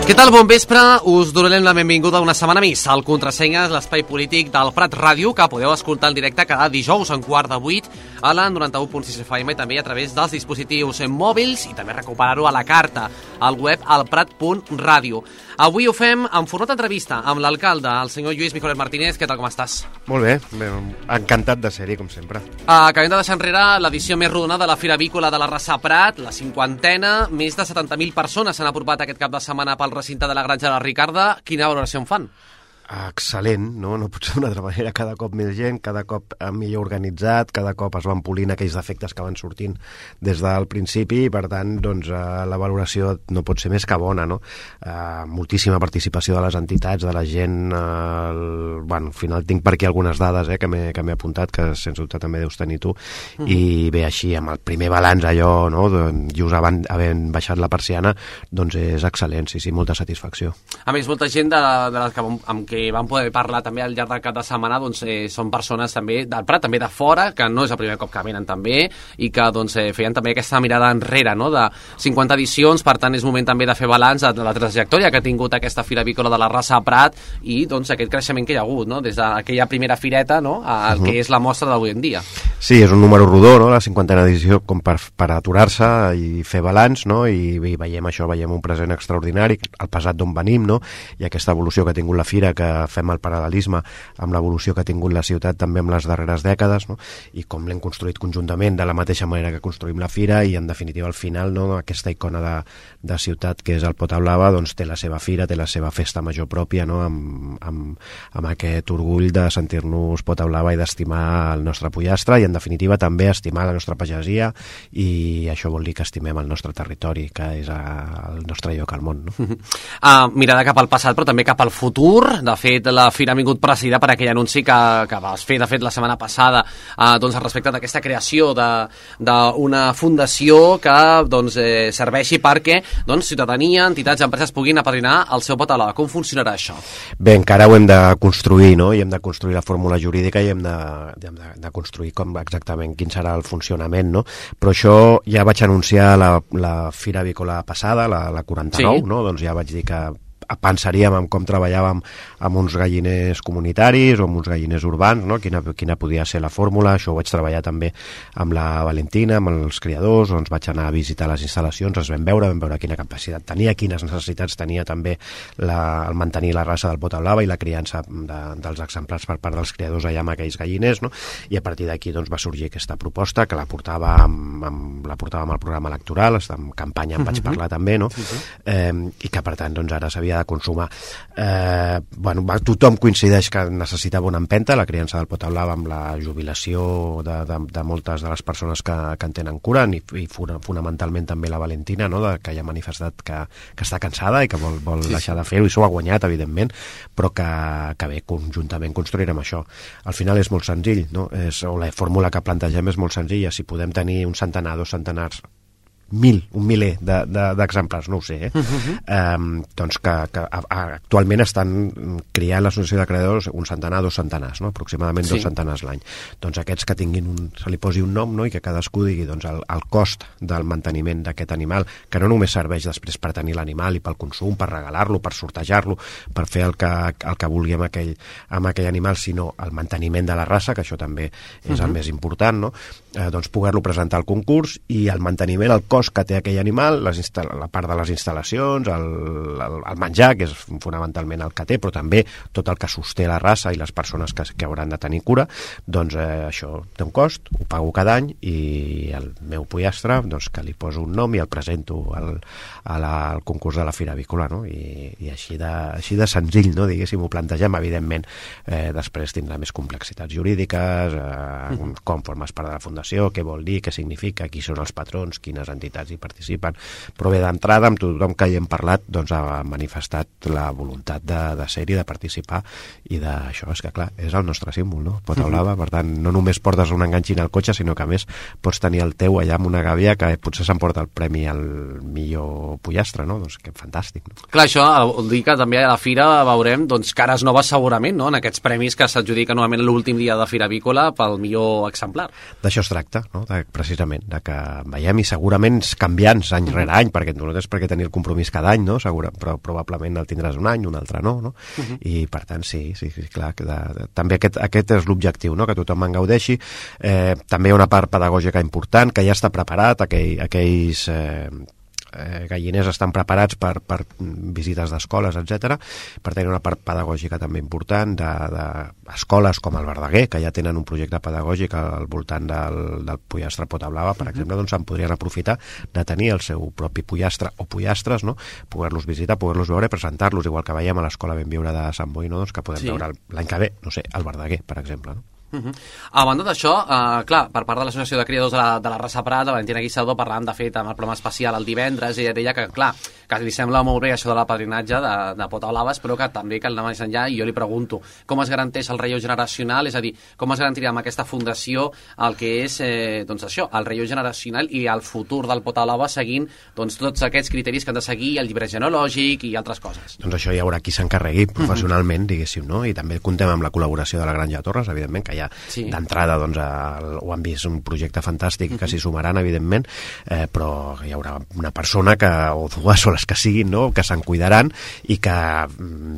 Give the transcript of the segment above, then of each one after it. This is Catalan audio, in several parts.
Què tal? Bon vespre. Us donem la benvinguda una setmana més al Contrasenyes, l'espai polític del Prat Ràdio, que podeu escoltar en directe cada dijous en 7:15 a la 91.6 FM i també a través dels dispositius mòbils i també recuperar-ho a la carta, al web alprat.radio. Avui ho fem en format d'entrevista amb l'alcalde, el senyor Lluís Mijolet Martínez. Què tal, com estàs? Molt bé, encantat de ser-hi, com sempre. Acabem de deixar enrere l'edició més rodona de la Fira Avícola de la Rasa Prat, la 50a. Més de 70.000 persones s'han apropat aquest cap de setmana pel recinte de la Granja de la Ricarda. Quina valoració en fan? Excel·lent, no? No pot ser d'una altra manera. Cada cop més gent, cada cop millor organitzat, cada cop es van polint aquells defectes que van sortint des del principi i, per tant, doncs, la valoració no pot ser més que bona, no? Moltíssima participació de les entitats, de la gent. Bueno, al final tinc per aquí algunes dades que m'he apuntat, que sens dubte també deus tenir tu, i bé, així, amb el primer balanç allò, no? Just havent baixat la persiana, doncs és excel·lent, sí, molta satisfacció. A més, molta gent de les amb què vam poder parlar també al llarg del cap de setmana, doncs són persones també del Prat, també de fora, que no és el primer cop que venen també, i que doncs feien també aquesta mirada enrere, no?, de 50 edicions. Per tant és moment també de fer balanç de la trajectòria que ha tingut aquesta Fira Avícola de la Rasa Prat i doncs aquest creixement que hi ha hagut, no?, des d'aquella primera fireta, no?, al que és la mostra d'avui en dia. Sí, és un número rodó, no?, la 50a edició, com per aturar-se i fer balanç, no?, i veiem això, veiem un present extraordinari, el passat d'on venim, no?, i aquesta evolució que ha tingut la Fira, que fem el paral·lelisme amb l'evolució que ha tingut la ciutat també en les darreres dècades, no?, i com l'hem construït conjuntament de la mateixa manera que construïm la Fira, i en definitiva al final, no?, aquesta icona de ciutat que és el Pota Blava, doncs té la seva fira, té la seva festa major pròpia, no?, amb aquest orgull de sentir-nos Pota Blava i d'estimar el nostre pollastre i en definitiva també estimar la nostra pagesia, i això vol dir que estimem el nostre territori, que és el nostre lloc al món, no? Mirada cap al passat però també cap al futur. De fet, la Fira ha vingut presidida per aquell anunci que vas fer, de fet, la setmana passada, doncs, respecte d'aquesta creació d'una fundació que doncs, serveixi perquè doncs, ciutadania, entitats i empreses puguin apadrinar el seu Pota Blava. Com funcionarà això? Bé, encara ho hem de construir, no?, i hem de construir la fórmula jurídica i hem de construir com exactament quin serà el funcionament, no? Però això ja vaig anunciar la Fira Avícola passada, la 49, sí. No? Doncs ja vaig dir que pensaríem en com treballàvem amb uns galliners comunitaris o amb uns galliners urbans, no? Quina podia ser la fórmula. Això ho vaig treballar també amb la Valentina, amb els criadors, doncs vaig anar a visitar les instal·lacions, els vam veure quina capacitat tenia, quines necessitats tenia també el mantenir la raça del Pota Blava i la criança dels exemplars per part dels criadors allà amb aquells galliners, no? I a partir d'aquí doncs, va sorgir aquesta proposta que la portàvem amb el programa electoral, en campanya en vaig parlar també, no? I que per tant doncs, ara s'havia de consumar. Tothom coincideix que necessitava una empenta, la criança del Pota Blava, amb la jubilació de moltes de les persones que en tenen cura, i fonamentalment també la Valentina, no?, que ja ha manifestat que està cansada i que vol deixar de fer-ho, i s'ho ha guanyat, evidentment, però que bé, conjuntament construirem això. Al final és molt senzill, no? O la fórmula que plantegem és molt senzilla. Si podem tenir un centenar, 2 centenars, un miler d'exemplars, no ho sé, doncs que actualment estan criant l'associació de creadors un centenar, 2 centenars, no? Aproximadament 2 centenars l'any. Doncs aquests que tinguin se li posi un nom, no?, i que cadascú digui doncs, el cost del manteniment d'aquest animal, que no només serveix després per tenir l'animal i pel consum, per regalar-lo, per sortejar-lo, per fer el que vulgui amb aquell animal, sinó el manteniment de la raça, que això també és el més important, no? Doncs poder-lo presentar al concurs, i el manteniment, el cost que té aquell animal, la part de les instal·lacions, el menjar, que és fonamentalment el que té, però també tot el que sosté la raça i les persones que hauran de tenir cura, doncs això té un cost, ho pago cada any, i el meu pollastre, doncs que li poso un nom i el presento al concurs de la Fira Avícola, no? I així de senzill, no?, diguéssim, ho plantegem. Evidentment, després tindrà més complexitats jurídiques, com formes part de la fundació, què vol dir, què significa, qui són els patrons, quines entitats hi participen, però bé, d'entrada, amb tothom que hi hem parlat, doncs ha manifestat la voluntat de ser-hi, de participar, i d'això és que, clar, és el nostre símbol, no? Pota Blava, per tant, no només portes un enganxin al cotxe, sinó que, a més, pots tenir el teu allà amb una gàbia que potser s'emporta el premi al millor pollastre, no? Doncs que fantàstic, no? Clar, això vol dir que també a la Fira veurem doncs, cares noves segurament, no?, en aquests premis que s'adjudiquen normalment l'últim dia de Fira Avícola pel millor exemplar. D'això es tracta, no?, precisament, de que veiem, i segurament moments canviants any rere any, perquè no és perquè tenir el compromís cada any, no? Però probablement el tindràs un any, un altre no? I per tant sí, clar, també aquest és l'objectiu, no? Que tothom en gaudeixi. També hi ha una part pedagògica important, que ja està preparat, aquells galliners estan preparats per visites d'escoles, etc. Per tenir una part pedagògica també important d'escoles com el Verdaguer, que ja tenen un projecte pedagògic al voltant del pollastre Potablava, per exemple, doncs se'n podrien aprofitar de tenir el seu propi pollastre o pollastres, no? Poder-los visitar, poder-los veure i presentar-los, igual que veiem a l'Escola Benviure de Sant Boi, no? Doncs que podem veure l'any que ve, no sé, al Verdaguer, per exemple, no? A banda d'això, clar, per part de l'Associació de Criadors de la Raça Prat, la Valentina Guissador, parlant de fet amb el programa especial el divendres, i deia que, clar, que li sembla molt bé això de l'apadrinatge de Potablaves, però que també cal anar més enllà, i jo li pregunto, com es garanteix el relleu generacional, és a dir, com es garantirà amb aquesta fundació el que és, doncs això, el relleu generacional i el futur del Potablava seguint doncs, tots aquests criteris que han de seguir, el llibre genològic i altres coses. Doncs això hi haurà qui s'encarregui professionalment, diguéssim, no? I també comptem amb la col·laboració de la Granja de Torres, evidentment, que ja d'entrada doncs, ho han vist un projecte fantàstic que s'hi sumaran, evidentment, però hi haurà una persona o dues o les que siguin, no? Que se'n cuidaran i que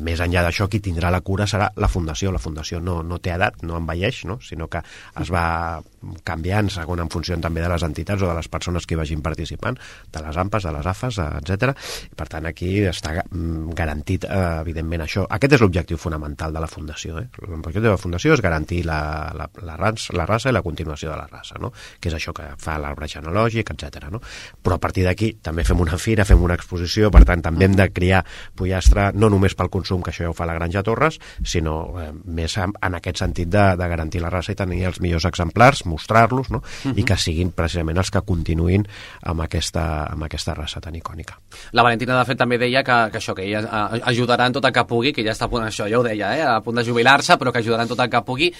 més enllà d'això qui tindrà la cura serà la Fundació. La Fundació no té edat, no envelleix, no? Sinó que es va canviant segons en funció també de les entitats o de les persones que hi vagin participant, de les AMPAs, de les AFAs, etc. I per tant aquí està garantit evidentment això. Aquest és l'objectiu fonamental de la Fundació. L'objectiu de la Fundació és garantir la raça i la continuació de la raça, no? Que és això que fa l'arbre genològic, etc. No? Però a partir d'aquí també fem una fira, fem una exposició, per tant també hem de criar pollastre no només pel consum, que això ja ho fa la Granja Torres, sinó més en aquest sentit de garantir la raça i tenir els millors exemplars, mostrar-los, no? I que siguin precisament els que continuïn amb aquesta raça tan icònica. La Valentina, de fet, també deia que això, que ella ajudarà en tot el que pugui, que ja està a punt, això ja ho deia, a punt de jubilar-se, però que ajudarà en tot el que pugui.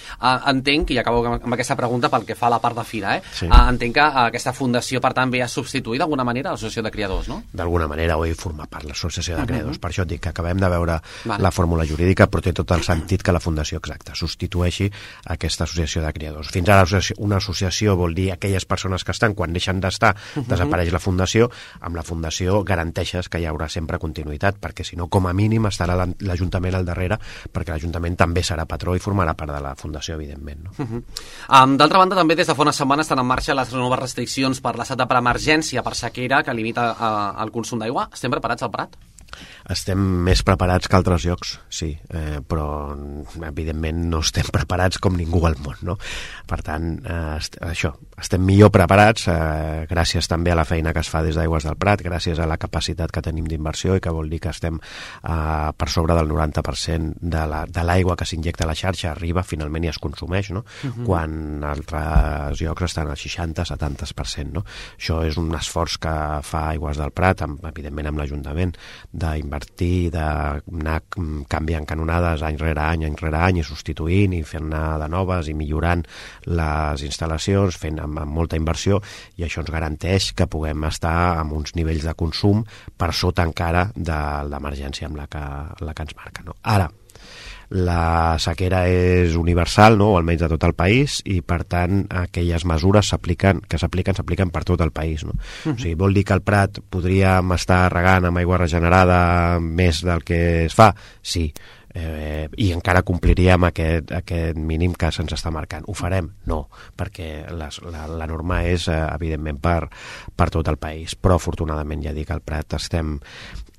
Entenc, i acabo amb aquesta pregunta pel que fa a la part de fira, entenc que aquesta fundació, per tant, ve a substituir d'alguna manera l'Associació de Criadors, no? D'alguna manera, o hi forma part l'Associació de Criadors. Per això et dic que acabem de veure la fórmula jurídica, però té tot el sentit que la fundació, exacta, substitueixi aquesta Associació de Criadors. Fins ara una associació vol dir aquelles persones que estan, quan deixen d'estar, desapareix la fundació. Amb la fundació garanteixes que hi haurà sempre continuïtat, perquè si no, com a mínim, estarà l'Ajuntament al darrere, perquè l'Ajuntament també serà patró i formarà part de la fundació, evidentment. No? D'altra banda, també des de fa una setmana estan en marxa les noves restriccions per l'estat de preemergència per sequera que limita el consum d'aigua. Estem preparats al Prat? Estem més preparats que altres llocs, sí, però evidentment no estem preparats com ningú al món, no? Per tant, estem millor preparats gràcies també a la feina que es fa des d'Aigües del Prat, gràcies a la capacitat que tenim d'inversió i que vol dir que estem per sobre del 90% de l'aigua que s'injecta a la xarxa arriba finalment i es consumeix, no? Quan altres llocs estan al 60-70%, no? Això és un esforç que fa Aigües del Prat, evidentment amb l'Ajuntament, d'invertir, d'anar canviant canonades any rere any i substituint i fent-ne de noves i millorant les instal·lacions, fent amb molta inversió, i això ens garanteix que puguem estar amb uns nivells de consum per sota encara de l'emergència amb la que ens marca. No? Ara, la sequera és universal, no? O almenys de tot el país, i per tant aquelles mesures que s'apliquen per tot el país, no? O sigui, vol dir que al Prat podríem estar regant amb aigua regenerada més del que es fa? Sí. I encara compliríem aquest mínim que se'ns està marcant. Ho farem? No, perquè la norma és evidentment per tot el país, però afortunadament ja dic, al Prat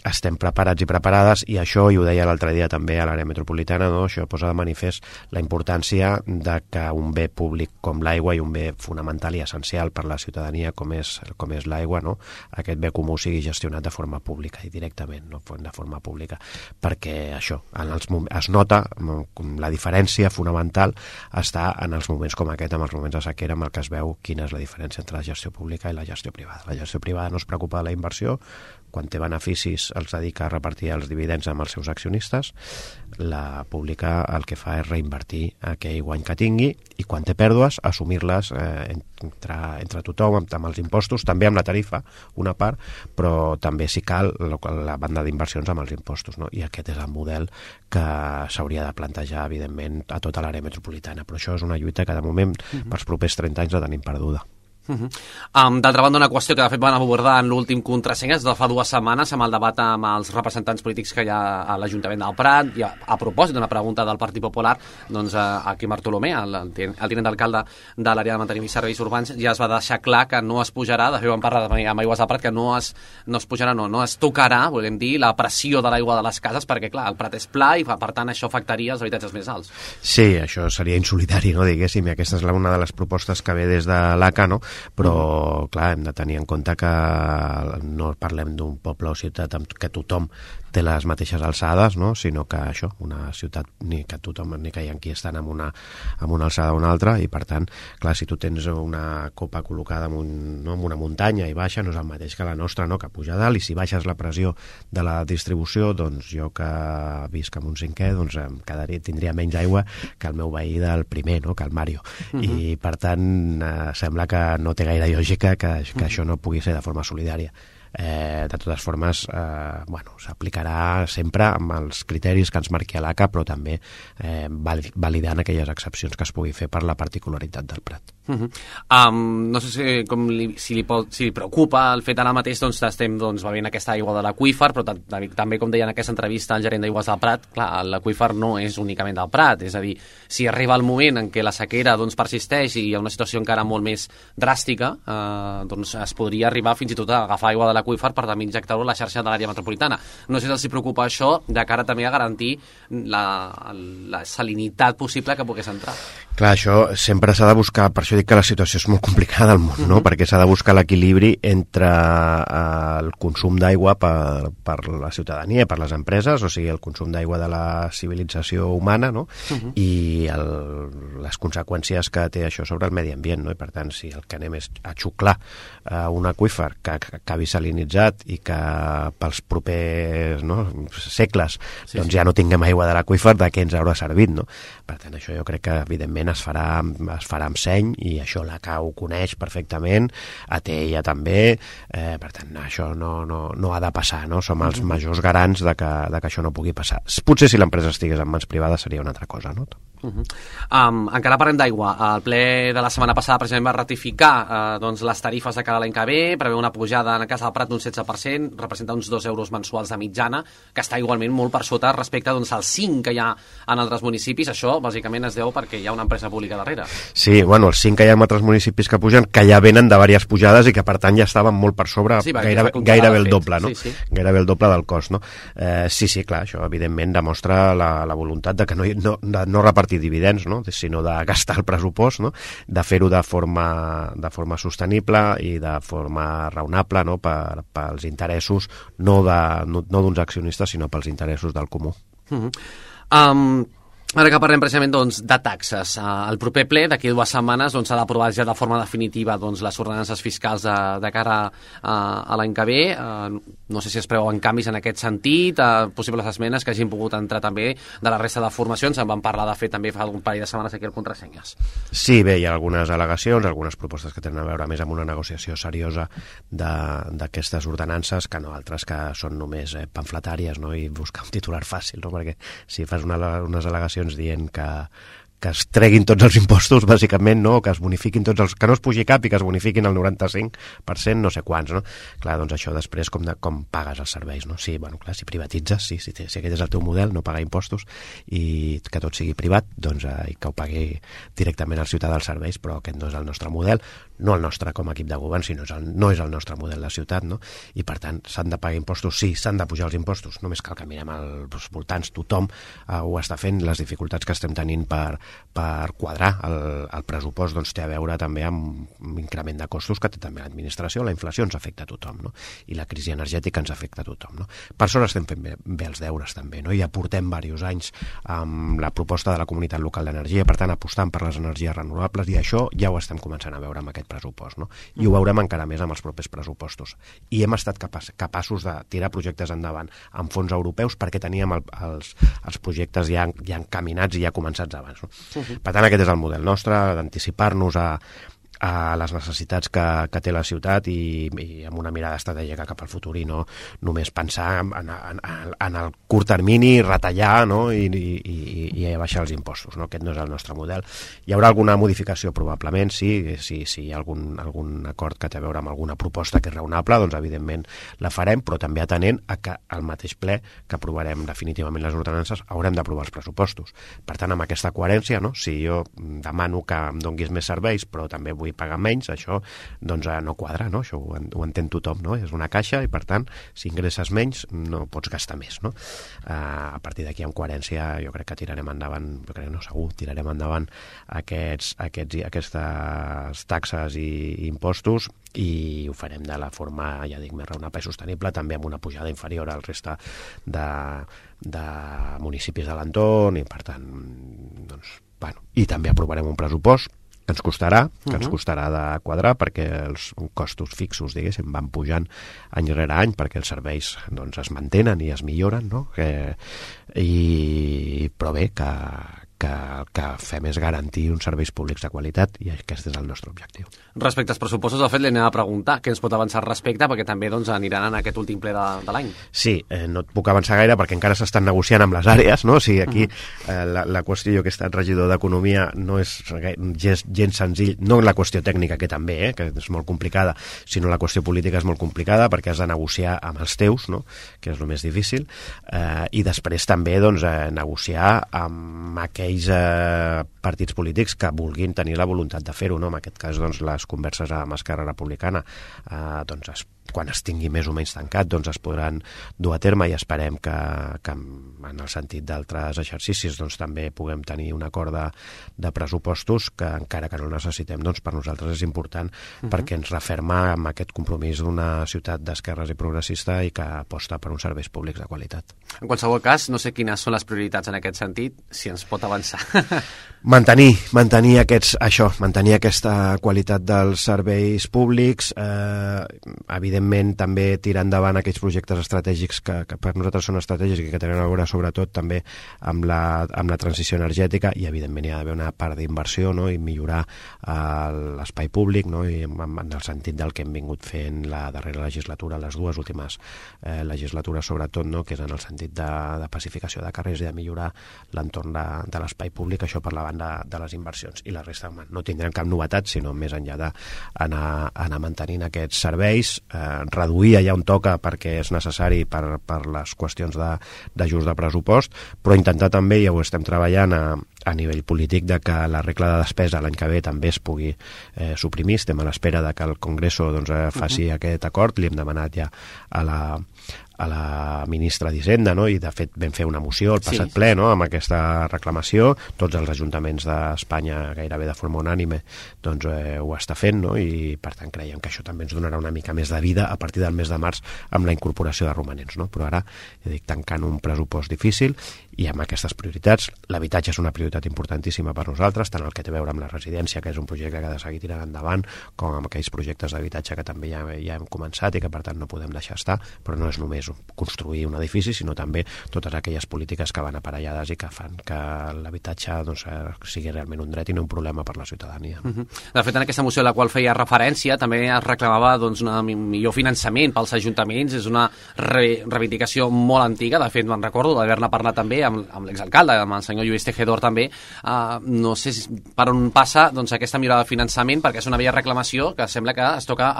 estem preparats i preparades, i això, i ho deia l'altre dia també a l'àrea metropolitana, no? Això posa de manifest la importància de que un bé públic com l'aigua, i un bé fonamental i essencial per la ciutadania com és l'aigua, no? Aquest bé comú sigui gestionat de forma pública i directament, no? De forma pública, perquè això, es nota la diferència fonamental està en els moments com aquest, en els moments de sequera, amb el que es veu quina és la diferència entre la gestió pública i la gestió privada. La gestió privada no es preocupa de la inversió, quan té beneficis els dedica a repartir els dividends amb els seus accionistes. La pública el que fa és reinvertir aquell guany que tingui, i quan té pèrdues assumir-les entre tothom, amb els impostos, també amb la tarifa una part, però també si cal la banda d'inversions amb els impostos, no? I aquest és el model que s'hauria de plantejar evidentment a tota l'àrea metropolitana, però això és una lluita que de moment pels propers 30 anys la tenim perduda. D'altra banda, una qüestió que de fet van abordar en l'últim contrasenyes de fa 2 setmanes amb el debat amb els representants polítics que hi ha a l'Ajuntament del Prat, i a propòsit d'una pregunta del Partit Popular, doncs aquí Bartolomé, el tinent d'alcalde de l'àrea de manteniment i serveis urbans, ja es va deixar clar que no es pujarà, de fet vam parlar amb Aigües del Prat, que no es pujarà, no es tocarà, volem dir, la pressió de l'aigua de les cases, perquè clar, el Prat és pla i per tant això afectaria els habitatges més alts. Sí, això seria insolidari, no, diguéssim, i aquesta és una de les propostes que ve des de l'ACA, no? Però, clar, hem de tenir en compte que no parlem d'un poble o ciutat que tothom té les mateixes alçades, no? Sinó que això, una ciutat ni que tothom, ni que hi ha qui estan amb una alçada o una altra, i per tant, clar, si tu tens una copa col·locada en una muntanya i baixa, no és el mateix que la nostra, no? Que puja dalt, i si baixes la pressió de la distribució, doncs jo que visc en un 5è, doncs tindria menys aigua que el meu veí del primer, no? Que el Mario. I per tant, sembla que no té gaire lògica que això no pugui ser de forma solidària. De totes formes, s'aplicarà sempre amb els criteris que ens marqui l'ACA, però també validant aquelles excepcions que es pugui fer per la particularitat del Prat. No sé si li preocupa el fet ara mateix, doncs estem bevent aquesta aigua de l'aqüífer, però també, com deia en aquesta entrevista al gerent d'Aigües del Prat, clar, l'aqüífer no és únicament del Prat, és a dir, si arriba el moment en què la sequera persisteix i hi ha una situació encara molt més dràstica, doncs es podria arribar fins i tot a agafar aigua de l'aqüífer per també injectar-ho a la xarxa de l'àrea metropolitana. No sé si els preocupa això de cara també a garantir la salinitat possible que pogués entrar. Clar, això sempre s'ha de buscar, per això dic que la situació és molt complicada al món, no? Perquè s'ha de buscar l'equilibri entre el consum d'aigua per la ciutadania, per les empreses, o sigui, el consum d'aigua de la civilització humana, no? I les conseqüències que té això sobre el medi ambient, no? I per tant, si el que anem és a xuclar un aqüífer que acabi salinitzat i que pels propers segles doncs ja no tinguem aigua de l'aqüífer, de què ens haurà servit, no? Per tant, això jo crec que evidentment es farà amb seny, i això l'ACA ho coneix perfectament, ATEIA també, per tant això no ha de passar, no? Som els majors garants de que això no pugui passar. Potser si l'empresa estigués en mans privades seria una altra cosa, no? Encara parlem d'aigua. El ple de la setmana passada precisament va ratificar les tarifes de cara a l'any que ve, preveu una pujada en el cas del Prat d'un 16%, representa uns 2 euros mensuals de mitjana, que està igualment molt per sota respecte als 5 que hi ha en altres municipis. Això bàsicament es deu perquè hi ha una empresa pública darrere. Sí, bueno, els 5 que hi ha en altres municipis que pugen, que ja venen de diverses pujades i que per tant ja estaven molt per sobre, sí, gairebé el doble, no? Sí. Gairebé el doble del cost, no? Sí, clar, això evidentment demostra la voluntat de que no repartir dividends, no? Sinó de gastar el pressupost, no? De fer-ho de forma sostenible i de forma raonable, no? Pels interessos no d'uns accionistes, sinó pels interessos del comú. Ara que parlem precisament de taxes, el proper ple d'aquí 2 setmanes s'ha d'aprovar ja de forma definitiva les ordenances fiscals de cara a l'any que ve. No sé si es preveuen canvis en aquest sentit, possibles esmenes que hagin pogut entrar també de la resta de formacions. En vam parlar de fer també fa un parell de setmanes aquí al Contrasenyes. Sí, bé, hi ha algunes al·legacions, algunes propostes que tenen a veure més amb una negociació seriosa d'aquestes ordenances, que no altres que són només pamfletàries, no? I buscar un titular fàcil, no? Perquè si fas unes al·legacions dient que es treguin tots els impostos, bàsicament, no? Que es bonifiquin tots els... que no es pugi cap i que es bonifiquin el 95%, no sé quants, no? Clar, doncs això després com pagues els serveis, no? Sí, bueno, clar, si privatitzes, si aquest és el teu model, no pagar impostos i que tot sigui privat, doncs que ho pagui directament el ciutadà dels serveis, però aquest no és el nostre model, no el nostre com a equip de govern, sinó no és el nostre model de ciutat, no? I per tant, s'han de pagar impostos? Sí, s'han de pujar els impostos, només cal que mirem als voltants, tothom ho està fent, les dificultats que estem tenint per quadrar el pressupost doncs té a veure també amb un increment de costos que té també l'administració, la inflació ens afecta a tothom, no? I la crisi energètica ens afecta a tothom, no? Per això estem fent bé els deures també, no? Ja portem diversos anys amb la proposta de la Comunitat Local d'Energia, per tant apostant per les energies renovables, i això ja ho estem començant a veure amb aquest pressupost, no? I ho veurem encara més amb els propers pressupostos. I hem estat capaços de tirar projectes endavant amb fons europeus perquè teníem els projectes ja encaminats i ja començats abans, no? Per tant, aquest és el model nostre, d'anticipar-nos a a les necessitats que té la ciutat i amb una mirada estratègica cap al futur i no només pensar en el curt termini, retallar, no? I baixar els impostos, no? Aquest no és el nostre model. Hi haurà alguna modificació probablement, sí, si hi ha algun acord que té a veure amb alguna proposta que és raonable, doncs evidentment la farem, però també atenent a que al mateix ple que aprovarem definitivament les ordenances haurem d'aprovar els pressupostos. Per tant, amb aquesta coherència, no? Si jo demano que em donguis més serveis però també vull pagar menys, això doncs no quadra, no? Això ho entén tothom, no? És una caixa i per tant, si ingresses menys no pots gastar més, no? A partir d'aquí, amb coherència, jo crec que tirarem endavant, segur, tirarem endavant aquestes taxes i impostos i ho farem de la forma, ja dic, més raonable i sostenible, també amb una pujada inferior al reste de municipis de l'entorn i per tant, doncs, bueno, i també aprovarem un pressupost que ens costarà de quadrar perquè els costos fixos, diguéssim, van pujant any rere any perquè els serveis doncs, es mantenen i es milloren, no? Però bé, que el que fem és garantir uns serveis públics de qualitat i aquest és el nostre objectiu. Respecte als pressupostos, de fet, li anem a preguntar què ens pot avançar al respecte, perquè també doncs, aniran en aquest últim ple de l'any. Sí, no et puc avançar gaire perquè encara s'estan negociant amb les àrees, no? O sigui, aquí la qüestió, jo que he estat regidor d'Economia, no és gens senzill, no la qüestió tècnica, que també, que és molt complicada, sinó la qüestió política és molt complicada perquè has de negociar amb els teus, no? Que és el més difícil, i després també doncs, negociar amb aquells partits polítics que vulguin tenir la voluntat de fer-ho, no? En aquest cas, doncs, les converses amb Esquerra Republicana doncs, quan es tingui més o menys tancat, doncs es podran dur a terme i esperem que en el sentit d'altres exercicis doncs, també puguem tenir un acord de pressupostos que encara que no el necessitem, doncs per nosaltres és important perquè ens referma amb aquest compromís d'una ciutat d'esquerres i progressista i que aposta per uns serveis públics de qualitat. En qualsevol cas, no sé quines són les prioritats en aquest sentit, si ens pot avançar. Mantenir aquesta qualitat dels serveis públics, evidentment també tirar endavant aquells projectes estratègics que per nosaltres són estratègics i que tenen a veure sobretot també amb la transició energètica i evidentment hi ha d'haver una part d'inversió, no? I millorar l'espai públic, no? I en el sentit del que hem vingut fent la darrera legislatura, les dues últimes legislatures sobretot, no? Que és en el sentit de pacificació de carrers i de millorar l'entorn de l'espai públic, això per la banda de les inversions, i la resta no tindrem cap novetat, sinó més enllà d'anar mantenint aquests serveis, reduir allà on toca perquè és necessari per les qüestions d'ajust de pressupost, però intentar també, ja ho estem treballant a nivell polític, de que la regla de despesa l'any que ve també es pugui suprimir. Estem a l'espera de que el Congreso doncs, faci aquest acord, li hem demanat ja a la ministra d'Hisenda, no? I de fet vam fer una moció al passat ple, no? Amb aquesta reclamació, tots els ajuntaments d'Espanya gairebé de forma unànime doncs, ho està fent, no? I per tant creiem que això també ens donarà una mica més de vida a partir del mes de març amb la incorporació de romanents, no? Però ara, ja dic, tancant un pressupost difícil i amb aquestes prioritats, l'habitatge és una prioritat importantíssima per nosaltres, tant el que té a veure amb la residència, que és un projecte que ha de seguir tirant endavant, com amb aquells projectes d'habitatge que també ja hem començat i que per tant no podem deixar estar, però no és només construir un edifici, sinó també totes aquelles polítiques que van aparellades i que fan que l'habitatge doncs, sigui realment un dret i no un problema per la ciutadania. De fet, en aquesta moció a la qual feia referència també es reclamava doncs, un millor finançament pels ajuntaments, és una reivindicació molt antiga, de fet me'n recordo d'haver-ne parlat també amb l'exalcalde, amb el senyor Lluís Tejedor també, no sé per on passa doncs, aquesta millora de finançament, perquè és una vella reclamació que sembla que es toca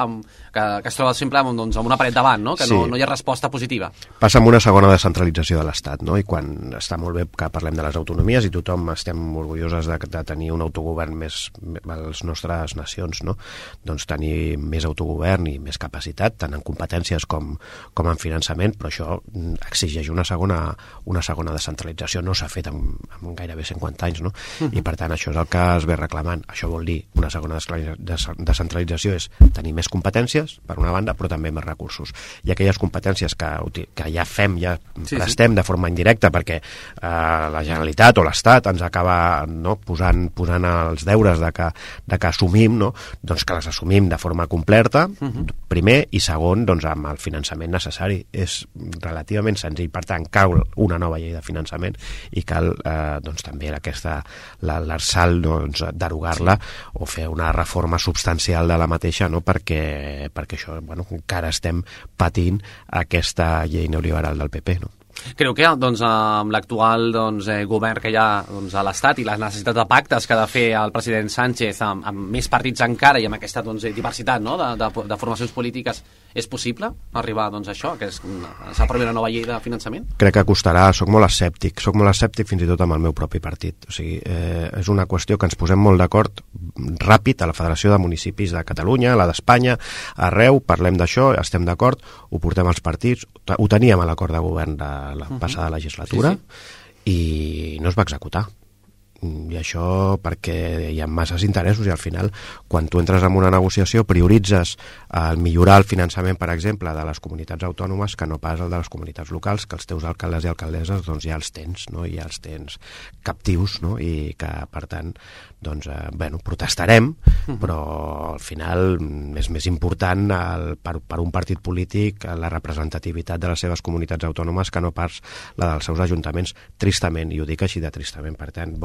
que es troba sempre doncs, amb una paret davant, no? Que no hi ha resposta positiva. Passa amb una segona descentralització de l'Estat, no? I quan està molt bé que parlem de les autonomies i tothom estem orgulloses de tenir un autogovern més a les nostres nacions, no? Doncs tenir més autogovern i més capacitat, tant en competències com en finançament, però això exigeix una segona descentralització, no s'ha fet en gairebé 50 anys, no? I per tant això és el que es ve reclamant. Això vol dir una segona descentralització, és tenir més competències per una banda, però també més recursos. I aquelles competències que ja fem, ja prestem de forma indirecta perquè la Generalitat o l'Estat ens acaba posant els deures de que assumim, no? Doncs que les assumim de forma completa, primer, i segon, doncs amb el finançament necessari. És relativament senzill, per tant, cal una nova llei de finançament finançament i cal doncs, també l'ARSAL doncs, derogar-la o fer una reforma substancial de la mateixa, no? perquè això, encara estem patint aquesta llei neoliberal del PP, no? Creu que doncs, amb l'actual govern que hi ha a l'Estat i la necessitat de pactes que ha de fer el president Sánchez amb més partits encara i amb aquesta diversitat, no? de formacions polítiques, és possible arribar a això, que s'aprovi una nova llei de finançament? Crec que costarà, soc molt escèptic fins i tot amb el meu propi partit. O sigui, és una qüestió que ens posem molt d'acord ràpid a la Federació de Municipis de Catalunya, a la d'Espanya, arreu, parlem d'això, estem d'acord, ho portem als partits, ho teníem a l'acord de govern de la passada legislatura, i no es va executar. I això perquè hi ha masses interessos i al final quan tu entres en una negociació prioritzes el millorar el finançament, per exemple, de les comunitats autònomes que no pas el de les comunitats locals, que els teus alcaldes i alcaldesses doncs ja els tens, no? I ja els tens captius, no? I que per tant doncs, protestarem, però al final és més important per un partit polític la representativitat de les seves comunitats autònomes que no pas la dels seus ajuntaments, tristament, i ho dic així de tristament. Per tant,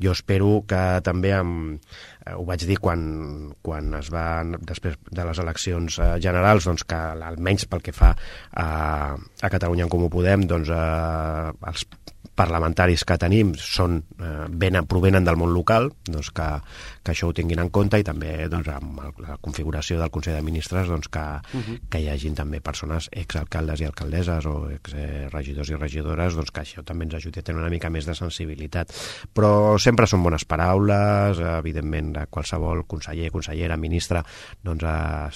jo espero que també ho vaig dir quan es va, després de les eleccions generals, doncs que almenys pel que fa a Catalunya en Comú Podem, doncs els parlamentaris que tenim provenen del món local, doncs que això ho tinguin en compte, i també doncs, amb la configuració del Consell de Ministres doncs, que hi hagin també persones exalcaldes i alcaldesses o exregidors i regidores, doncs, que això també ens ajudi a tenir una mica més de sensibilitat. Però sempre són bones paraules, evidentment qualsevol conseller, consellera, ministre, doncs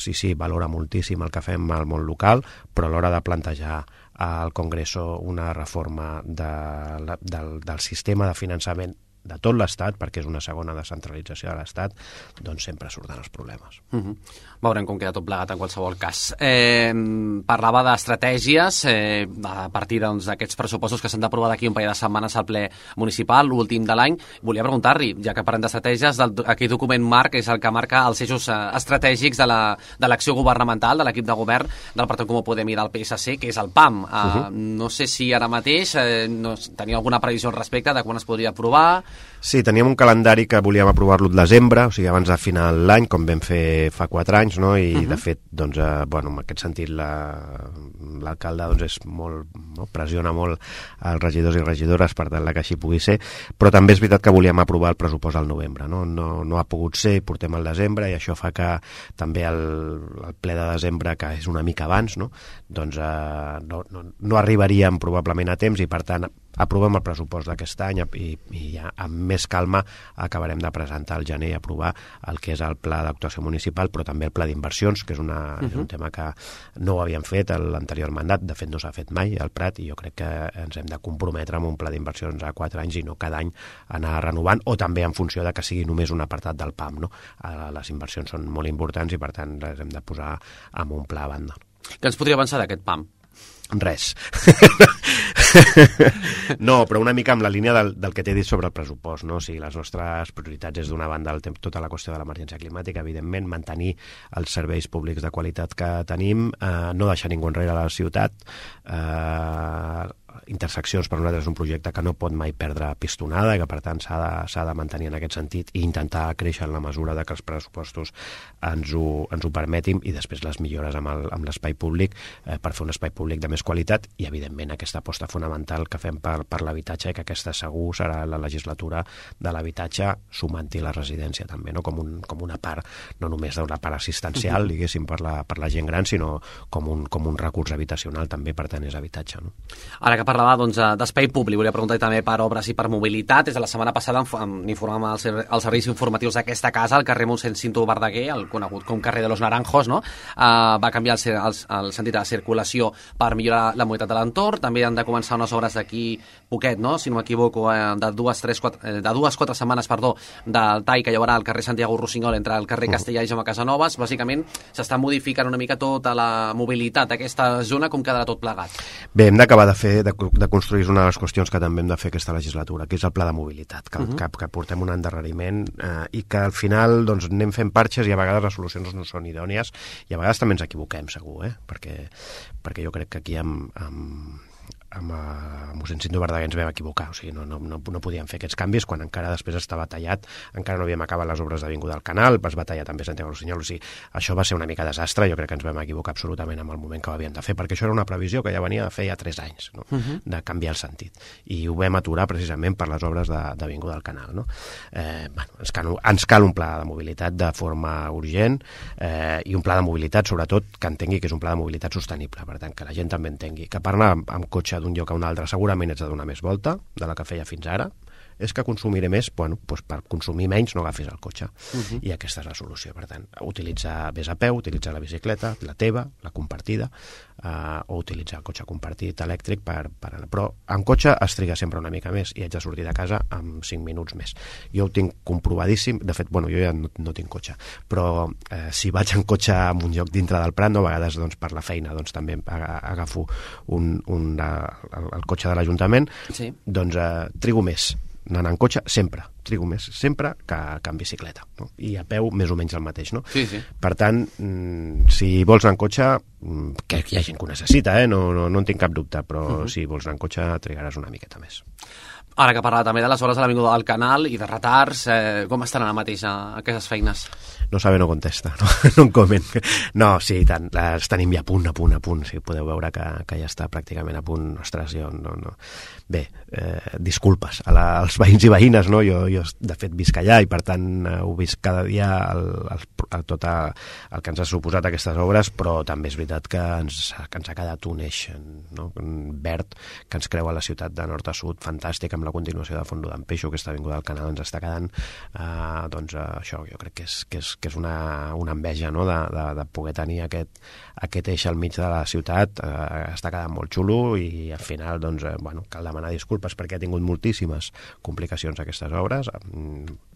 sí, valora moltíssim el que fem al món local, però a l'hora de plantejar al Congreso una reforma del sistema de finançament de tot l'Estat, perquè és una segona descentralització de l'Estat, doncs sempre surten els problemes. Veurem com queda tot plegat en qualsevol cas. Parlava d'estratègies a partir d'aquests pressupostos que s'han d'aprovar d'aquí un parell de setmanes al ple municipal, l'últim de l'any. Volia preguntar-li, ja que parlem d'estratègies, aquell document marc és el que marca els eixos estratègics de l'acció governamental, de l'equip de govern del Partit Comú Podem i del PSC, que és el PAM. No sé si ara mateix tenia alguna previsió al respecte de quan es podria aprovar. Sí, teníem un calendari que volíem aprovar-lo al desembre, o sigui, abans de final l'any, com vam fer fa 4 anys, no? I de fet, doncs, en aquest sentit l'alcalde doncs, pressiona molt els regidors i regidores per tal que així pugui ser, però també és veritat que volíem aprovar el pressupost al novembre, no ha pogut ser, portem al desembre, i això fa que també el ple de desembre, que és una mica abans, doncs no arribaríem probablement a temps, i per tant aprovem el pressupost d'aquest any i ja amb més calma acabarem de presentar al gener i aprovar el que és el pla d'actuació municipal, però també el pla d'inversions, que és un tema que no ho havíem fet a l'anterior mandat, de fet no s'ha fet mai al Prat, i jo crec que ens hem de comprometre amb un pla d'inversions a 4 anys i no cada any anar renovant, o també en funció de que sigui només un apartat del PAM, no? Les inversions són molt importants i per tant les hem de posar en un pla a banda. Què ens podria avançar d'aquest PAM? Res. No, però una mica amb la línia del que t'he dit sobre el pressupost, no? O sigui, les nostres prioritats és d'una banda tota la qüestió de l'emergència climàtica, evidentment, mantenir els serveis públics de qualitat que tenim, no deixar ningú enrere a la ciutat, interseccions per nosaltres és un projecte que no pot mai perdre pistonada i que per tant s'ha de mantenir en aquest sentit i intentar créixer en la mesura de que els pressupostos ens ho permetin, i després les millores amb l'espai públic per fer un espai públic de més qualitat, i evidentment aquesta aposta fonamental que fem per l'habitatge, i que aquesta segur serà la legislatura de l'habitatge, sumant-hi la residència també, no? com una part, no només d'una part assistencial, diguéssim, per la gent gran, sinó com un recurs habitacional també, per tant és habitatge, no? Ara que parlava d'espai públic, volia preguntar també per obres i per mobilitat. Des de la setmana passada n'informàvem els serveis informatius d'aquesta casa, al carrer Mossèn Cinto Verdaguer, el conegut com carrer de los Naranjos, no? Va canviar el sentit de circulació per millorar la mobilitat de l'entorn. També han de començar unes obres d'aquí poquet, no? Si no m'equivoco, de 2-4 setmanes, del tall que hi haurà al carrer Santiago Rossinyol entre el carrer Castellà i Jaume Casanovas. Bàsicament s'està modificant una mica tota la mobilitat d'aquesta zona. Com quedarà tot plegat? Bé, hem d'acabar de construir una de les qüestions que també hem de fer aquesta legislatura, que és el pla de mobilitat, que portem un endarreriment i que al final doncs, anem fent parxes i a vegades les solucions no són idònies i a vegades també ens equivoquem, segur, perquè jo crec que aquí mossèn Cinto Verdaguer ens vam equivocar, o sigui, no podíem fer aquests canvis quan encara després estava tallat, encara no havíem acabat les obres d'Avinguda del Canal, es va tallar també Santiago Rossinyol, o sigui, això va ser una mica desastre, jo crec que ens vam equivocar absolutament amb el moment que ho havíem de fer, perquè això era una previsió que ja venia de fer ja 3 anys, no? De canviar el sentit, i ho vam aturar precisament per les obres d'Avinguda del Canal, no? Ens cal un pla de mobilitat de forma urgent, i un pla de mobilitat, sobretot, que entengui que és un pla de mobilitat sostenible, per tant, que la gent també entengui que per anar amb cotxe d'un lloc a un altre segurament ets de donar més volta de la que feia fins ara, és que consumiré més, bueno, doncs per consumir menys no agafis el cotxe. I aquesta és la solució. Per tant, vés a peu, utilitzar la bicicleta, la teva, la compartida, o utilitzar el cotxe compartit elèctric però en cotxe es triga sempre una mica més i haig de sortir de casa amb 5 minuts més. Jo ho tinc comprovadíssim, de fet, bueno, jo ja no tinc cotxe, però si vaig en cotxe en un lloc dintre del Prat, a vegades doncs, per la feina doncs, també agafo el cotxe de l'Ajuntament, doncs trigo més anant en cotxe, trigo més sempre que en bicicleta, no? I a peu més o menys el mateix, no? Sí. Per tant, si vols anar en cotxe, que hi ha gent que ho necessita, no en tinc cap dubte, però si vols anar en cotxe trigaràs una miqueta més. Ara que parla també de les hores de l'Avinguda del Canal i de retards, com estan ara mateix aquestes feines? No sabe, no contesta, no en coment. No, sí, tant, les tenim ja a punt, sí, podeu veure que ja està pràcticament a punt. Ostres, jo no. Bé, disculpes als veïns i veïnes, no? Jo de fet visc allà i per tant ho visc cada dia tot el que ens ha suposat aquestes obres, però també és veritat que ens ha quedat un eix, no? Verd que ens creua la ciutat de nord a sud, fantàstic, amb la continuació de Fondo d'en Peixo, aquesta avinguda del Canal ens està quedant, doncs això jo crec que és una enveja, no? de poder tenir aquest eix al mig de la ciutat, està quedant molt xulo i al final doncs, cal demanar disculpes perquè ha tingut moltíssimes complicacions aquestes obres,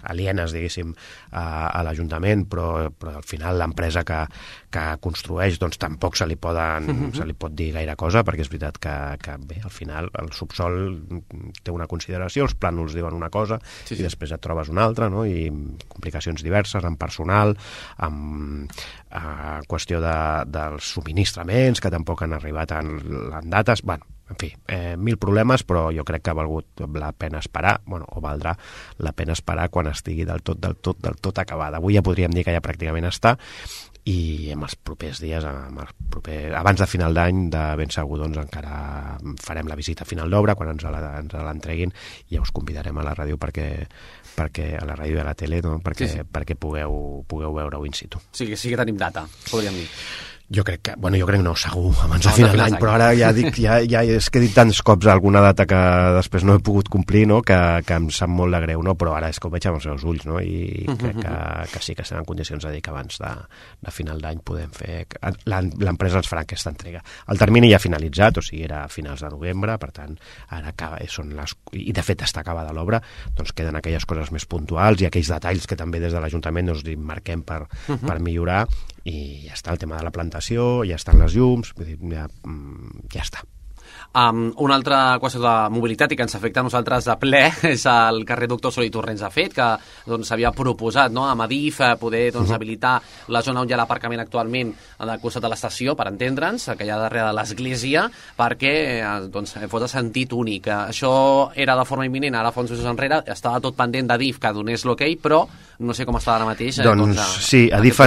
alienes, diguéssim, a l'Ajuntament, però al final l'empresa que construeix doncs tampoc se li pot dir gaire cosa, perquè és veritat que bé, al final el subsol té una consideració, els plànols diuen una cosa i després et trobes una altra, no? I complicacions diverses amb personal, amb qüestió dels subministraments que tampoc han arribat en dates, en fi, 1000 problemes, però jo crec que ha valgut la pena esperar, o valdrà la pena esperar quan estigui del tot acabada. Avui ja podríem dir que ja pràcticament està, i en els propers dies, abans de final d'any, de ben segur, doncs encara farem la visita final d'obra quan ens l'entreguin i ja us convidarem a la ràdio perquè a la ràdio i a la tele, no? perquè pugueu veure-ho in situ. Sí que tenim data, podríem dir. Jo crec no, segur, abans de final d'any, però ara ja és que he dit tants cops alguna data que després no he pogut complir, no? que em sap molt de greu, no? Però ara és que ho veig amb els meus ulls, no? I crec que sí que estem en condicions de dir que abans de final d'any podem fer... L'empresa ens farà aquesta entrega. El termini ja ha finalitzat, o sigui, era a finals de novembre, per tant, ara acaba, i de fet està acabada l'obra, doncs queden aquelles coses més puntuals i aquells detalls que també des de l'Ajuntament ens marquem per millorar, i ja està el tema de la plantació, ja estan les llums, vull dir, ja està. Una altra qüestió de mobilitat i que ens afecta a nosaltres de ple és el carrer Doctor Sol i Torrents. Ha fet que s'havia proposat, no, amb Adif poder habilitar la zona on hi ha l'aparcament actualment al costat de l'estació, per entendre'ns, que hi ha darrere de l'església, perquè fos de sentit únic. Això era de forma imminent, ara fa uns mesos enrere, estava tot pendent d'Adif que donés l'ok, però no sé com està ara mateix. Sí, Adif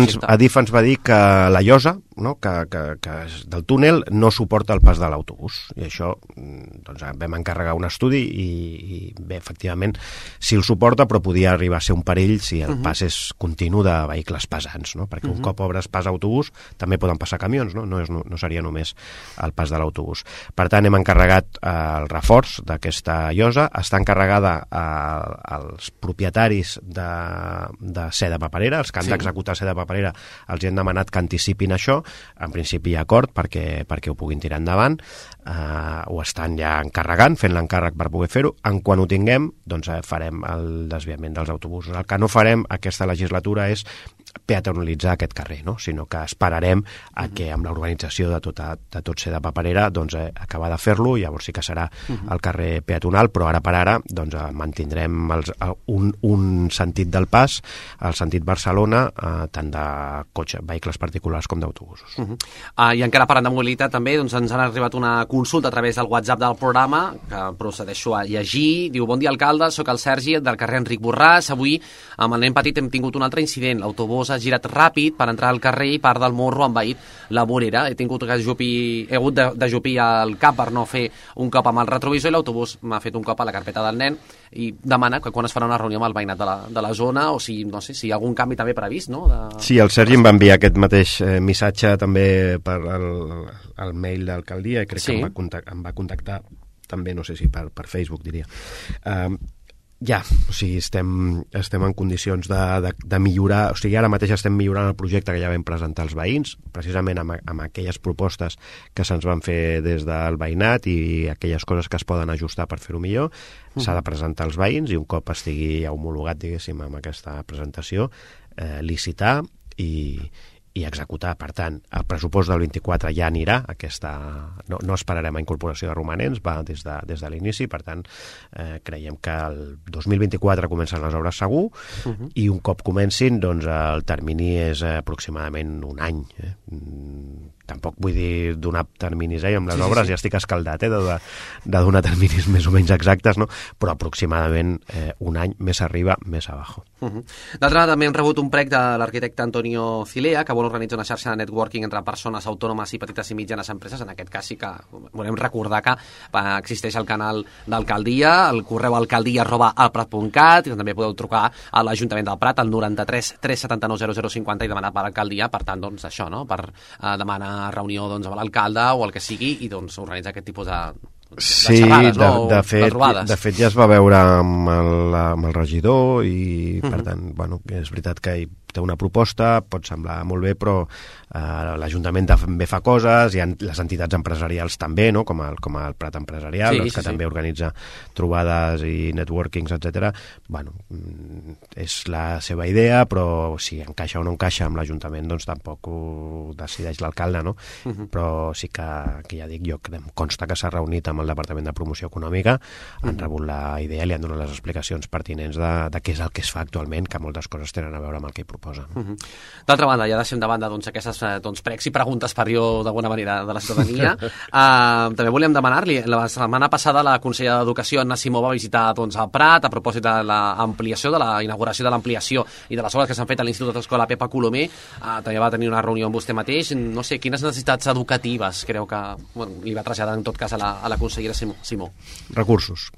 ens va dir que la llosa, no, que del túnel no suporta el pas de l'autobús, i això vam encarregar un estudi i bé, efectivament sí el suporta, però podia arribar a ser un perill si el pas és continu de vehicles pesants, no? Perquè un cop obres pas autobús també poden passar camions, no seria només el pas de l'autobús. Per tant, hem encarregat el reforç d'aquesta llosa, està encarregada als propietaris de ser de paperera, els que han d'executar ser de paperera els hi han demanat que anticipin això, en principi hi ha acord perquè ho puguin tirar endavant, ho estan ja encarregant, fent l'encàrrec per poder fer-ho. En quan ho tinguem, doncs farem el desviament dels autobusos. El que no farem aquesta legislatura és peatonalitzar aquest carrer, no? Sinó que esperarem a que amb l'organització de tot ser de paperera doncs, acabar de fer-lo, llavors sí que serà el carrer peatonal, però ara per ara doncs, mantindrem un sentit del pas, el sentit Barcelona, tant de vehicles particulars com d'autobusos. I encara parlant de mobilitat també, doncs ens han arribat una consulta a través del WhatsApp del programa, que procedeixo a llegir. Diu: bon dia, alcalde, sóc el Sergi del carrer Enric Borràs. Avui amb el nen petit hem tingut un altre incident. L'autobús ha girat ràpid per entrar al carrer i part del morro ha envaït la vorera. He hagut d'ajupir el cap per no fer un cop amb el retrovisor i l'autobús m'ha fet un cop a la carpeta del nen, i demana que quan es farà una reunió amb el veïnat de la zona, o si, no sé, si hi ha algun canvi també previst, no? Sí, el Sergi em va enviar aquest mateix missatge també per el mail d'alcaldia, i crec que em va contactar també, no sé si per Facebook, diria. O sigui, estem en condicions de millorar, o sigui, ara mateix estem millorant el projecte que ja vam presentar als veïns, precisament amb aquelles propostes que se'ns van fer des del veïnat i aquelles coses que es poden ajustar per fer-ho millor. S'ha de presentar als veïns i un cop estigui ja homologat, diguéssim, amb aquesta presentació, licitar i executar. Per tant, el pressupost del 24 ja anirà, no esperarem a incorporació de romanents, va des de l'inici, per tant, creiem que el 2024 comencen les obres segur, i un cop comencin, doncs el termini és aproximadament un any. Tampoc vull dir donar terminis, amb les obres ja estic escaldat de donar terminis més o menys exactes, no? Però aproximadament un any, més arriba, més abajo. D'altra banda, també hem rebut un prec de l'arquitecte Antonio Cilea, que vol organitzar una xarxa de networking entre persones autònomes i petites i mitjanes empreses. En aquest cas sí que volem recordar que existeix el canal d'alcaldia, el correu alcaldia@alprat.cat, i també podeu trucar a l'Ajuntament del Prat al 93 379 0050 i demanar per l'alcaldia, per tant, doncs això, no? Per demanar reunió amb l'alcalde o el que sigui, i doncs organitzar aquest tipus de xerrades, no? De fet ja es va veure amb el regidor i per tant, és veritat que té una proposta, pot semblar molt bé, però l'Ajuntament també fa coses, hi ha les entitats empresarials també, no? com el Prat Empresarial, que també organitza trobades i networkings, etc. És la seva idea, però si encaixa o no encaixa amb l'Ajuntament, doncs tampoc ho decideix l'alcalde, no? Però sí que ja dic, jo em consta que s'ha reunit amb el Departament de Promoció Econòmica, han rebut la idea, li han donat les explicacions pertinents de què és el que es fa actualment, que moltes coses tenen a veure amb el que hi proposa. D'altra banda, ja deixem de banda aquestes pregs i preguntes per jo d'alguna manera de la ciutadania. També volíem demanar-li, la setmana passada la consellera d'Educació, Anna Simó, va visitar el Prat a propòsit de l'ampliació, de la inauguració de l'ampliació i de les obres que s'han fet a l'Institut d'Escola Pepa Colomer. També va tenir una reunió amb vostè mateix. No sé, quines necessitats educatives creu que li va traslladar en tot cas a la consellera Simó? Recursos.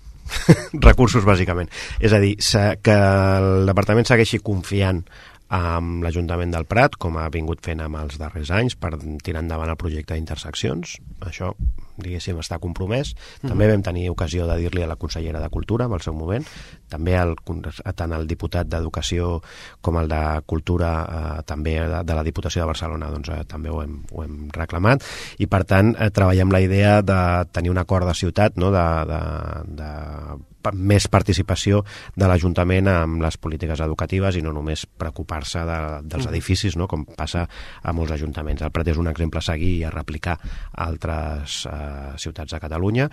Recursos, bàsicament. És a dir, que el departament segueixi confiant amb l'Ajuntament del Prat, com ha vingut fent amb els darrers anys, per tirar endavant el projecte d'interseccions. Això, diguéssim, està compromès. També vam tenir ocasió de dir-li a la consellera de Cultura en el seu moment, també tant el diputat d'Educació com el de Cultura, també de la Diputació de Barcelona, doncs també ho hem reclamat, i per tant treballem la idea de tenir un acord de ciutat, no? de més participació de l'Ajuntament amb les polítiques educatives i no només preocupar-se dels edificis, no? Com passa a molts ajuntaments. El Prat és un exemple a seguir i a replicar a altres ciutats de Catalunya,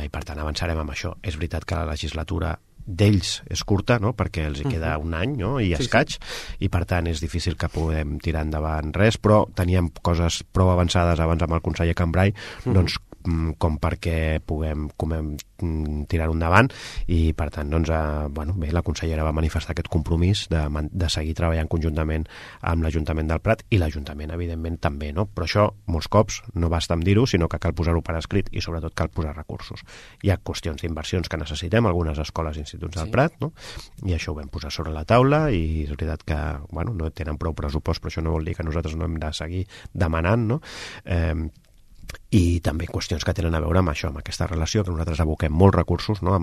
i per tant avançarem amb això. És veritat que la legislatura d'ells és curta, no? Perquè els hi queda un any, no? I escaig, i per tant és difícil que puguem tirar endavant res, però teníem coses prou avançades abans amb el conseller Cambrai, doncs com perquè puguem tirar-ho endavant, i per tant doncs, bé, la consellera va manifestar aquest compromís de seguir treballant conjuntament amb l'Ajuntament del Prat, i l'Ajuntament evidentment també, no? Però això molts cops no basta amb dir-ho, sinó que cal posar-ho per escrit i sobretot cal posar recursos. Hi ha qüestions d'inversions que necessitem, algunes escoles i instituts del Prat, no? I això ho vam posar sobre la taula, i és veritat que no tenen prou pressupost, però això no vol dir que nosaltres no hem de seguir demanant, no? i també qüestions que tenen a veure amb això, amb aquesta relació, que nosaltres aboquem molts recursos, no?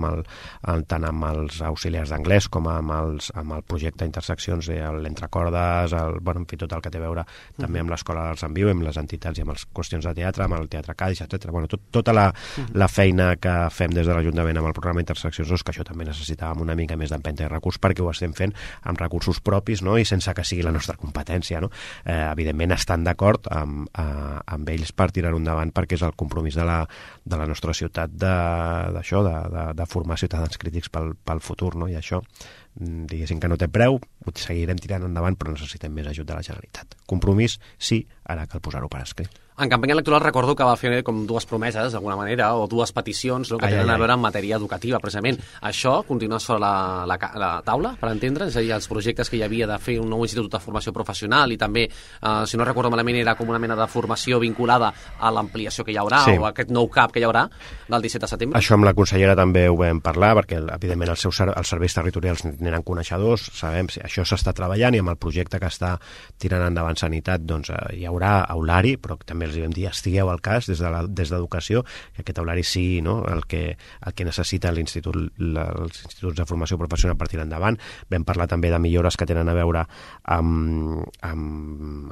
Tant amb els auxiliars d'anglès com amb el projecte Interseccions, l'Entrecordes, en fi, tot el que té a veure també amb l'Escola d'Arts en Viu, amb les entitats i amb les qüestions de teatre, amb el Teatre Cadis, etc. Tota la feina que fem des de l'Ajuntament amb el programa Interseccions, que això també necessitàvem una mica més d'empenta i recurs, perquè ho estem fent amb recursos propis, no? I sense que sigui la nostra competència, no? Evidentment estan d'acord amb ells per tirar-ho endavant, perquè és el compromís de la nostra ciutat d'això, de formar ciutadans crítics pel futur, no? I això, diguéssim que no té preu, ho seguirem tirant endavant, però necessitem més ajut de la Generalitat. Compromís, sí, ara cal posar-ho per escrit. En campanya electoral recordo que va fer com dues promeses, d'alguna manera, o dues peticions, no, que tenen a veure en matèria educativa, precisament. Això continua sobre la taula, per entendre? És a dir, els projectes que hi havia de fer un nou institut de formació professional i també, si no recordo malament, era com una mena de formació vinculada a l'ampliació que hi haurà, o a aquest nou CAP que hi haurà del 17 de setembre? Això amb la consellera també ho vam parlar, perquè, evidentment, els serveis territorials n'eren coneixedors, sabem si això s'està treballant, i amb el projecte que està tirant endavant Sanitat, doncs hi haurà aulari, però també els vam dir, estigueu al cas des d'Educació, que aquest aulari sigui, no, el que necessita els instituts de formació professional per tirar endavant. Vam parlar també de millores que tenen a veure amb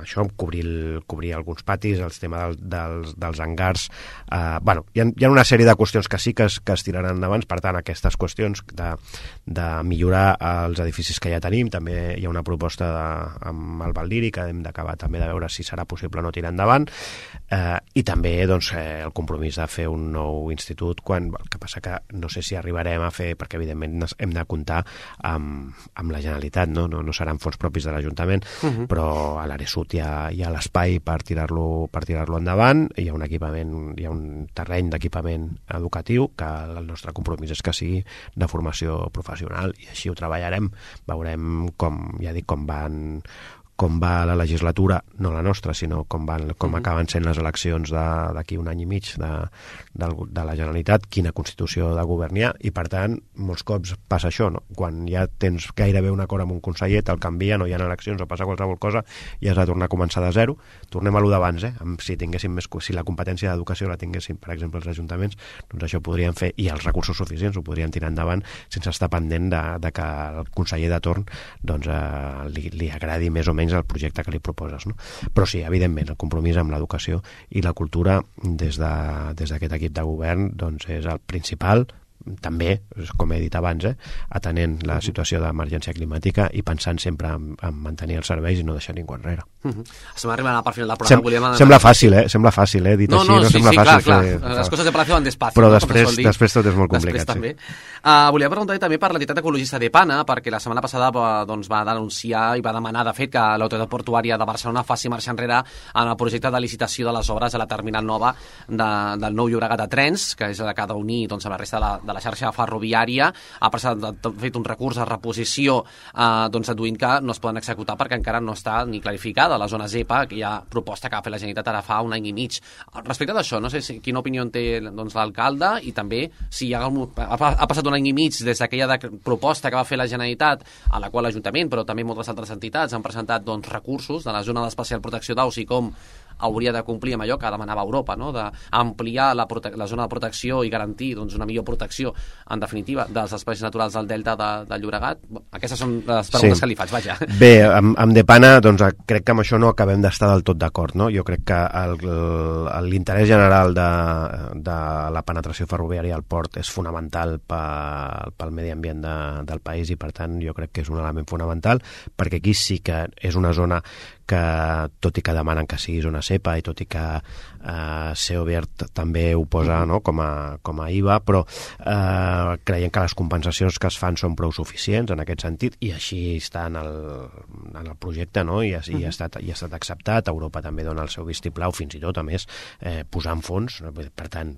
això, amb cobrir alguns patis, el tema dels hangars. Hi ha una sèrie de qüestions que sí que es tiraran endavant. Per tant, aquestes qüestions de millorar els edificis que ja tenim, també hi ha una proposta amb el Valdiri que hem d'acabar també de veure si serà possible o no tirar endavant. I també el compromís de fer un nou institut, el que passa que no sé si arribarem a fer, perquè evidentment hem de comptar amb la Generalitat, no seran fons propis de l'Ajuntament, però a l'àrea sud hi ha l'espai per tirar-lo endavant, hi ha un equipament, hi ha un terreny d'equipament educatiu que el nostre compromís és que sigui de formació professional, i així ho treballarem. Veurem com va la legislatura, no la nostra, sinó com acaben sent les eleccions d'aquí un any i mig de la Generalitat, quina constitució de govern hi ha, i per tant, molts cops passa això, no? Quan ja tens gairebé un acord amb un conseller, te'l canvia, no hi ha eleccions o passa qualsevol cosa, i has de tornar a començar de zero. Tornem a lo d'abans, si la competència d'educació la tinguessin, per exemple, els ajuntaments, doncs això ho podrien fer, i els recursos suficients ho podrien tirar endavant sense estar pendent de que el conseller de torn li agradi més o menys el projecte que li proposes, no? Però sí, evidentment, el compromís amb l'educació i la cultura des d'aquest equip de govern doncs és el principal, també, com he dit abans, atenent la situació d'emergència climàtica i pensant sempre en mantenir els serveis i no deixar ningú enrere. Estem arribant a per final del programa. Sembla fàcil, dit així, no sembla fàcil. Clar. Les coses de Palacio van despacio. Però després tot és molt complicat. També. Volia preguntar també per l'entitat ecologista d'Epana, perquè la setmana passada va denunciar i va demanar, de fet, que l'autoritat portuària de Barcelona faci marxa enrere en el projecte de licitació de les obres a la terminal nova del nou Llobregat de trens, que és la que ha d'unir a la resta de la xarxa ferroviària. Ha fet un recurs de reposició deduint que no es poden executar perquè encara no està ni clarificada la zona ZEPA, que hi ha proposta que ha fet la Generalitat ara fa un any i mig. Respecte d'això, no sé quina opinió té l'alcalde, i també si ha passat un any i mig des d'aquella proposta que va fer la Generalitat, a la qual l'Ajuntament, però també moltes altres entitats han presentat recursos de la zona d'especial protecció d'aus i com hauria de complir amb allò que demanava Europa, no? D'ampliar la zona de protecció i garantir una millor protecció, en definitiva, dels espais naturals del delta del Llobregat. Aquestes són les preguntes que li faig, vaja. Bé, amb Depana, crec que amb això no acabem d'estar del tot d'acord, no? Jo crec que l'interès general de la penetració ferroviària al port és fonamental pel medi ambient del país, i per tant jo crec que és un element fonamental, perquè aquí sí que és una zona que, tot i que demanen que sigui zona CEPA i tot i que Seobert també ho posa, no, com a IVA, però creiem que les compensacions que es fan són prou suficients en aquest sentit, i així està en el projecte, no? I ha estat acceptat. Europa també dona el seu vistiplau, fins i tot, a més, posant fons. Per tant,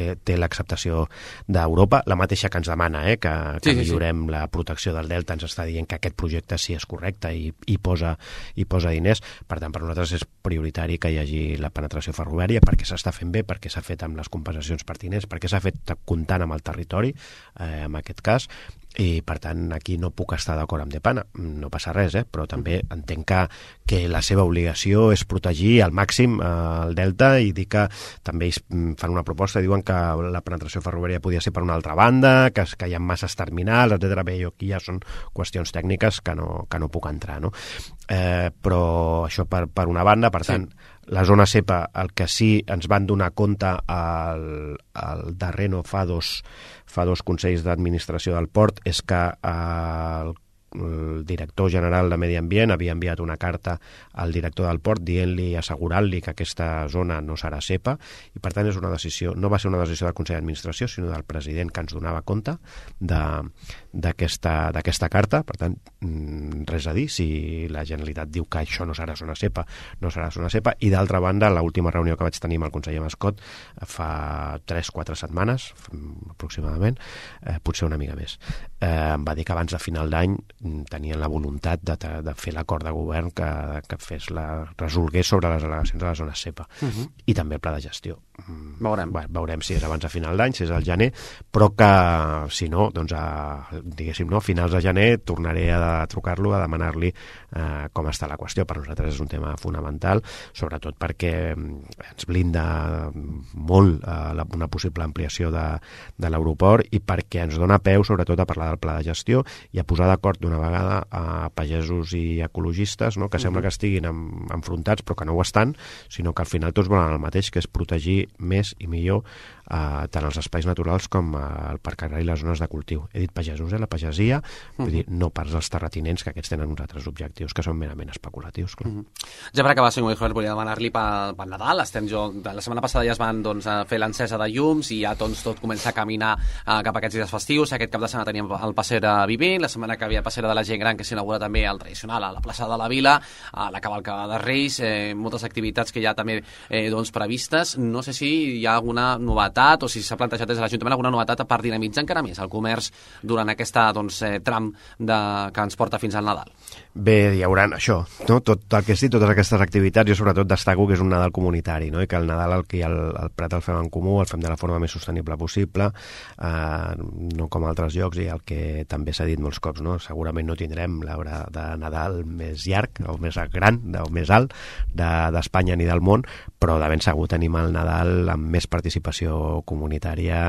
té l'acceptació d'Europa, la mateixa que ens demana, que millorem la protecció del delta, ens està dient que aquest projecte sí és correcte i posa diners. Per tant, per nosaltres és prioritari que hi hagi la penetració ferroviària, perquè s'està fent bé, perquè s'ha fet amb les compensacions pertinents, perquè s'ha fet comptant amb el territori, en aquest cas, i per tant aquí no puc estar d'acord amb Depana, no passa res, però també entenc que la seva obligació és protegir al màxim el Delta, i dir que també ells fan una proposta, diuen que la penetració ferroviària podia ser per una altra banda, que hi ha masses terminals, etc. Bé, aquí ja són qüestions tècniques que no puc entrar, no? Però això per una banda, per tant, la zona CEPA, el que sí ens van donar compte al darrer, no, fa dos consells d'administració del port, és que el director general de Medi Ambient havia enviat una carta al director del port dient-li, assegurant-li que aquesta zona no serà CEPA, i per tant és una decisió, no va ser una decisió del Consell d'Administració, sinó del president, que ens donava compte d'aquesta carta. Per tant, res a dir, si la Generalitat diu que això no serà zona CEPA, no serà zona CEPA. I d'altra banda, l'última reunió que vaig tenir amb el conseller Mascot fa 3-4 setmanes aproximadament, potser una mica més, em va dir que abans de final d'any tenien la voluntat de fer l'acord de govern que resolgués sobre les al·legacions de la zona CEPA. I també el pla de gestió. Veurem si és abans de final d'any, si és al gener, però que si no, doncs diguéssim, no, a finals de gener tornaré a trucar-lo, a demanar-li com està la qüestió. Per nosaltres és un tema fonamental, sobretot perquè ens blinda molt una possible ampliació de l'aeroport, i perquè ens dona peu sobretot a parlar del pla de gestió i a posar d'acord d'una vegada a pagesos i ecologistes, no? Que sembla que estiguin enfrontats però que no ho estan, sinó que al final tots volen el mateix, que és protegir més i millor tant els espais naturals com el parc agrari i les zones de cultiu. He dit pagesos, la pagesia, vull dir, no pas els terratinents, que aquests tenen uns altres objectius que són merament especulatius. Ja per acabar, senyor Mijoler, volia demanar-li pel Nadal. La setmana passada ja es van fer l'encesa de llums i ja tot comença a caminar cap a aquests dies festius. Aquest cap de setmana teníem el Passera Vivent, la setmana que havia Passera de la Gent Gran, que s'inaugura també el tradicional a la plaça de la Vila, la cavalcada de Reis, moltes activitats que ja també previstes. No sé si hi ha alguna novetat o si s'ha plantejat des de l'Ajuntament alguna novetat per dinamitzar encara més el comerç durant aquesta tram que ens porta fins al Nadal. Bé, hi haurà això, no? Tot el que sí, totes aquestes activitats, jo sobretot destaco que és un Nadal comunitari, no? I que el Nadal el Prat el fem en comú, el fem de la forma més sostenible possible, no com altres llocs, i el que també s'ha dit molts cops, no? Segurament no tindrem l'arbre de Nadal més llarg o més gran o més alt d'Espanya ni del món, però de ben segur tenim el Nadal amb més participació comunitària,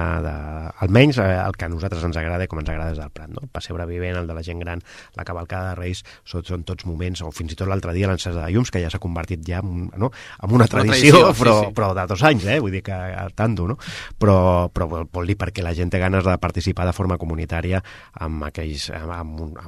almenys el que a nosaltres ens agrada, com ens agrada des del Prat, no? El Passebre Vivent, el de la Gent Gran, la cavalcada de Reis, són tots moments, o fins i tot l'altre dia l'encesa de llums, que ja s'ha convertit ja en una tradició, però de 2 anys, vull dir que tanto, no? Però vol dir perquè la gent té ganes de participar de forma comunitària amb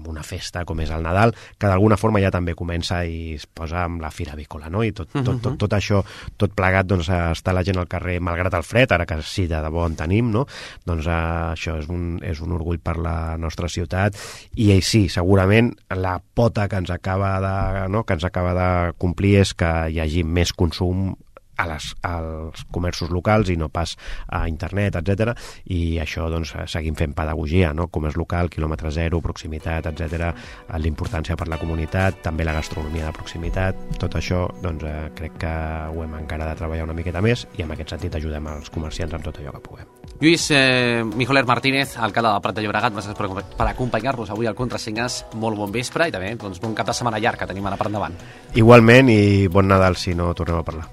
una festa com és el Nadal, que d'alguna forma ja també comença i es posa amb la fira avícola, no? I tot això, tot plegat, doncs està la gent al carrer, malgrat el fred, ara que sí, de debò en tenim, no? Doncs això és un orgull per la nostra ciutat, i sí, segurament la pota que ens acaba de complir és que hi hagi més consum als comerços locals i no pas a internet, etc. I això, doncs, seguim fent pedagogia, no? Comerç local, quilòmetre zero, proximitat, etc. L'importància per la comunitat, també la gastronomia de proximitat, tot això, doncs, crec que ho hem encara de treballar una miqueta més, i en aquest sentit ajudem els comerciants amb tot allò que puguem. Lluís Mijoler Martínez, alcalde del Prat de Llobregat, gràcies per acompanyar-nos avui al Contrasignes. Molt bon vespre i també bon cap de setmana llarg que tenim ara per endavant. Igualment, i bon Nadal si no tornem a parlar.